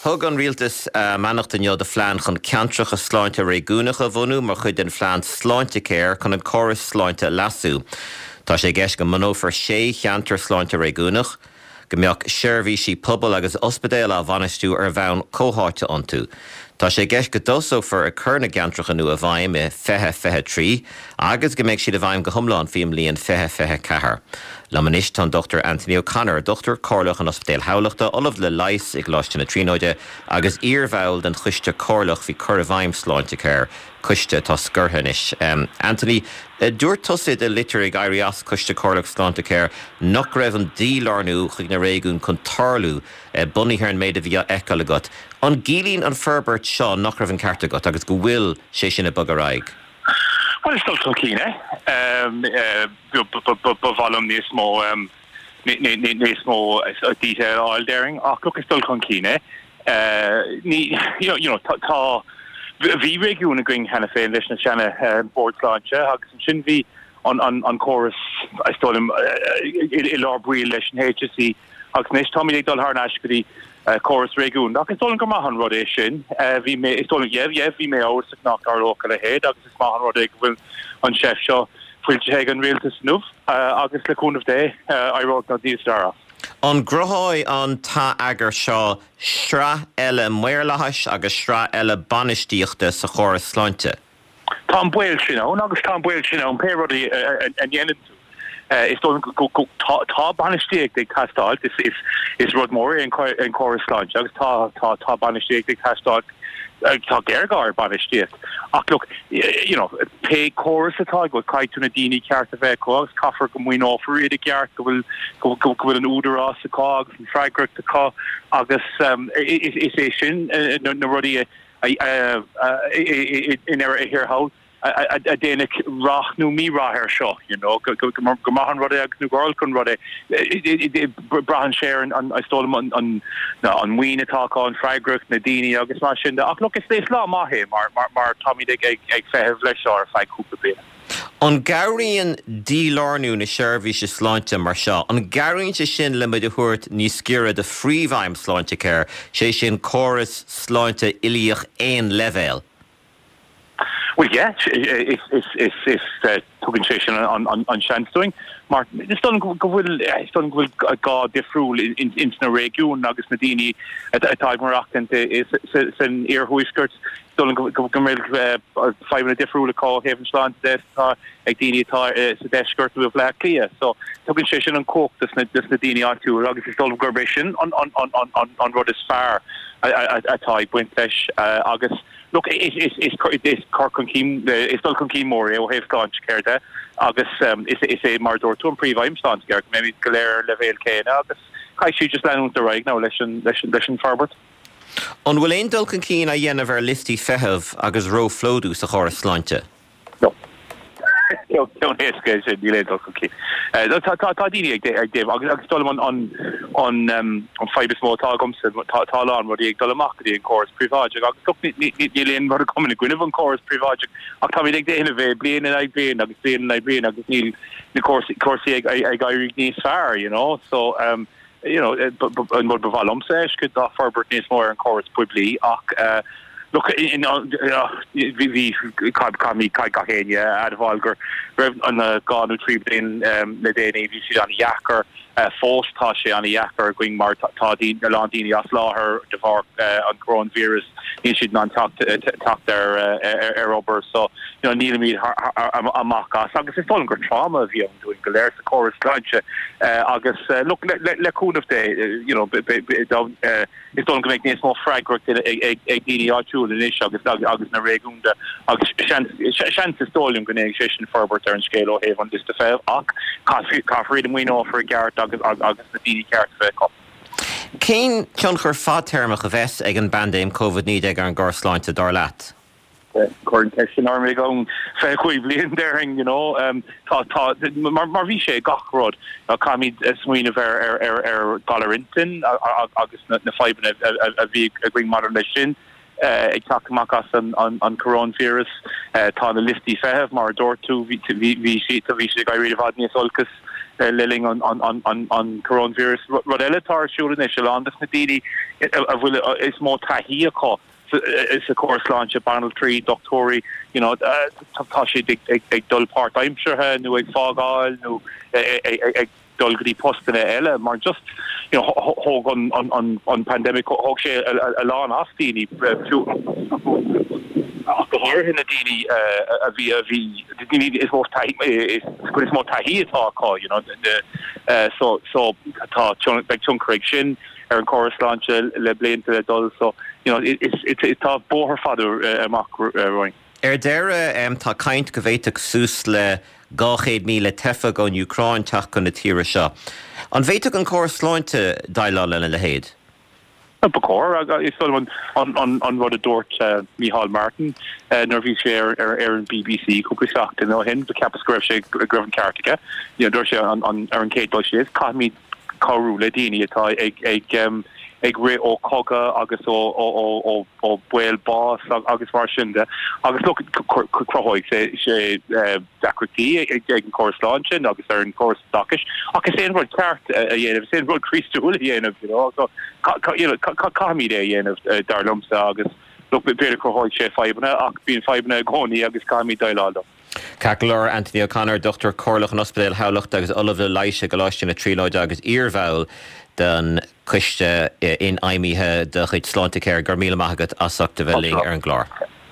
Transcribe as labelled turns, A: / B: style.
A: Thug an Rialtas a mbeannacht inniu do phlean chun ceantracha sláinte réigiúnacha a bhunú mar chuid den phlean Sláintecare chun an córas sláinte a leasú. Tá sé i gceist go mbunófar sé cheantar sláinte réigiúnach, go mbeadh seirbhísí pobail agus ospidéal á bhainistiú ar bhonn comhtháite iontu. Tá sé i gceist go dtosófar ag cur na gceantracha nua i bhfeidhm i 2023 agus go mbeidh siad i bhfeidhm go hiomlán faoin mbliain 2024. Liom anois tá an Dr Anthony O'Connor, Dochtúir Comhairleach in Ospidéal Thamhlachta, Ollamh le Leigheas i gColáiste na Tríonóide agus iarbhall den Choiste Comhairleach faoi cur i bhfeidhm Sláintecare, coiste atá scortha anois. Anthony, dúirt tusa i do litir ag éirí as Coiste Comhairleach Sláintecare nach raibh an dílárnú chuig na réigiúin chun tarlú, bunaithe ar an méid a bhí á fheiceáil agat. An gciallaíonn an forbairt seo nach raibh an ceart agat agus go bhfuil sé sin ag bogadh ar aghaidh?
B: Bhuel, is dul chun cinn é. Ba mhaith liom níos mó níos mó detail a fháil, déarfainn, ach look, is dul chun cinn é. Ní, you know, tá, bhí réigiún againn cheana féin leis na seana Bord Sláinte agus ansin bhí an córas, is dóigh liom, i lár baill leis an HSE. Agus anois táimid ag dul thar n-ais go dtí córas réigiúnach. Is dóigh liom gur maith an rud é sin. Bhí mé, is dóigh liom, yeah, yeah, bhí mé amhrasach nach dtarlódh a leithéid agus is maith an rud é go bhfuil an seift seo foilsithe ag an rialtas inniu agus le cúnamh Dé, éireoidh na níos fearr as.
A: An gcruthóidh an t-atheagar seo sraith eile maorlathais agus sraith eile bainistíochta sa chóras sláinte?
B: Tá an baol sin ann agus tá an baol sin ann pé rud a ndéanann tú. Is dóigh liom go tá bainistíocht ag teastáil, is rud mór é an córas sláinte agus tá tá bainistíocht ag teastáil, tá géarghá ar bainistíocht. Ach look, you know, pé córas atá agat, caithfidh tú na daoine ceart a bheith acu agus caithfear go maoineofar iad i gceart, go bhfuil go bhfuil an údarás acu agus an freagracht acu agus is é sin na rudaí a i ndeireadh thiar thall a dhéanfaidh rath nó mí-rath air seo, you know, go maith an rud é agus nó gur olc an rud é. Braitheann sé ar an, is dóigh liom, an maoin atá acu, an freagracht, na daoine agus mar sin de. Ach look, is lá maith é mar táimid ag feitheamh leis seo ar feadh cúpla bliain.
A: An gcabhraíonn dílárnú na seirbhíse sláinte mar seo, an gcabhraíonn sé sin le muid a thabhairt níos giorra do phríomhaidhm Sláintecare, sé sin córas sláinte uilíoch aon leibhéal?
B: Bhuel, yeah, is, is, is, is, tugann sé sin an seans dúinn mar is dóigh liom go bhfuil, is dóigh liom go bhfuil gá difriúil ins na réigiúin agus na daoine atá ag maireachtaint san iarthuaisceart. Is dóigh liom go mbeidh fadhbanna difriúla acu ó thaobh an sláinte de is atá ag daoine atá sa deisceart nó i mBleá Cliath. So tugann sé sin an chumhacht dos na daoine áitiúil agus is dóigh liom gurb é sin an rud is fearr atá ag baint leis agus look is cur chun cinn, is dul chun cinn mór é ó thaobh Sláintecare de agus is é mar a dúirt tú an príomhaidhm Sláintecare go mbeimid go léir ar an leibhéal céanna agus caithfidh siad just leanúint ar aghaidh now leis an forbairt.
A: An bhfuil aon dul chun cinn á dhéanamh ar liostaí feithimh agus róphlódú sa chóras sláinte?
B: No. Ceann éasca é sin, níl aon dul chun cinn. Tá daoine ag déanamh agus is dóigh liom an fadhb is mó atá agamsa, tá a lán rudaí ag dul amach go dtí an córas príobháideach agus look níl aon rud agam ina gcoinnibh an córas príobháideach ach táimid ag déanamh é bliain in aghaidh bliain agus bliain in aghaidh bliain agus níl na cúrsaí ag éirí níos fearr, you know. So, you know, an rud ba mhaith liomsa a fheiscint ná forbairt níos mó ar an chóras poiblí ach look, bhí, caithfidh gach éinne a admháil go raibh an 2 nó 3 bliain le déanaí, bhí siad an-dheacair. Fós tá sé an-dheacair againn mar tá a lán daoine as láthair de bharr an coróinvíreas, níl siad in ann teacht ar obair so, you know, nílimid amach as agus is dóigh liom gur tráma a bhí ann dúinn go léir sa chóras sláinte agus look, le cúnamh Dé, you know, is dóigh liom go mbeidh níos mó freagracht ag daoine áitiúil anois agus agus na réigiúnda agus seans is dóigh liom go ndéanfaidh sé sin forbairt ar an scéal ó thaobh an liosta feithimh ach caithfear iad a maoineofar i gceart agus agus na daoine ceart a bheith acu.
A: Cén tionchar fadtéarmach a bheas ag an bpaindéim Covid-19 ar an gcóras sláinte, dar leat?
B: Cuir an ceist sin orm i gceann 25 bliain, déarfainn, you know. Tá, tá, mar, mar bhí sé gach rud. Caithfimid smaoineamh ar, ar, ar, ar galar intinne agus na, na fadhbanna a, a bhí againn maidir leis sin ag teacht amach as an, an, an coróinvíreas. Tá na liostaí feithimh, mar a dúirt tú, bhí, bhí, bhí siad, bhí siad ag éirí i bhfad níos olcas. le linn an coronavirus. Rud eile atá ar siúl anois, a lán de na daoine a bhfuil is mó taithí acu sa chóras sláinte, banaltraí, dochtúirí, you know, tá siad ag dul páirtaimseartha nó ag fágáil nó ag dul go dtí postanna eile mar just you know thóg an an an pandemic thóg sé a lán as daoine ach go háirithe na daoine a bhí a bhí daoine is mó taithí is is mó taithí atá acu you know so so tá beidh tionchar ag sin ar an chóras sláinte le blianta le dul so you know is it's tá bóthar fada amach romhainn.
A: Ar deireadh, tá caint go bhféadfadh suas le 200,000 teifeach ón Úcráin teacht chun na tíre seo. An bhféadfadh an córas sláinte déileáil lena leithéid?
B: Ba chóir. Is dóigh liom an rud a dúirt Micheál Martin nuair a bhí sé ar an bbc cúpla seachtain ó shin, cheapas go raibh sé go raibh an ceart aige. Dúirt sé ar an chéad dul síos, caithfimid cabhrú le daoine atá ag rith ó chogadh agus ó ó baol bás agus mar sin de. Agus look, cruthóidh sé deacrachtaí ag an chóras sláinte agus ar an chóras oideachais, ach is é an rud ceart a dhéanamh, is é an rud Críostúil a dhéanamh, you know. So, you know, caithfimid é a dhéanamh, dar liomsa, agus look, b'fhéidir cruthóidh sé fadhbanna, ach bíonn fadhbanna i gcónaí agus caithfimid déileáil leo.
A: Ceart go leor, Anthony O'Connor, Dochtúir Comhairleach in Ospidéal Thamhlachta agus Ollamh le Leighis i gColáiste na Tríonóide agus iarbhall den Choiste Infheidhmithe de chuid Sláintecare, go raibh míle maith agat as ucht a bheith linn ar an gclár.